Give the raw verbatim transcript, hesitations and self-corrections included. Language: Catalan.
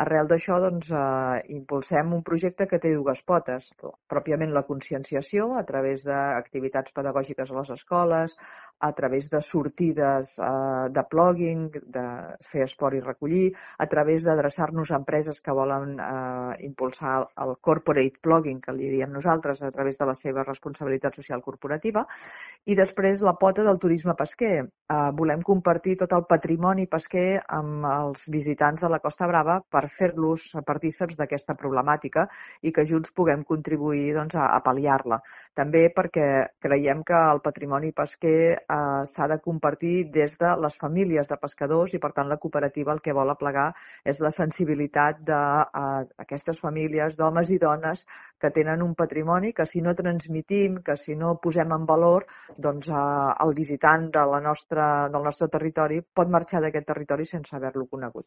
Arrel d'això, doncs, eh, impulsem un projecte que té dues potes. Pròpiament la conscienciació, a través d'activitats pedagògiques a les escoles, a través de sortides eh, de plugging, de fer esport i recollir, a través d'adreçar-nos a empreses que volen eh, impulsar el corporate plugging, que li diem nosaltres, a través de la seva responsabilitat social corporativa, i després la pota del turisme pesquer. Eh, volem compartir tot el patrimoni pesquer amb els visitants de la Costa Brava per fer-los partíceps d'aquesta problemàtica i que junts puguem contribuir doncs, a, a pal·liar-la. També perquè creiem que el patrimoni pesquer eh, s'ha de compartir des de les famílies de pescadors i, per tant, la cooperativa el que vol aplegar és la sensibilitat d'aquestes famílies d'homes i dones que tenen un patrimoni que si no transmitim, que si no posem en valor, doncs eh, el visitant de la nostra, del nostre territori pot marxar d'aquest territori sense haver-lo conegut.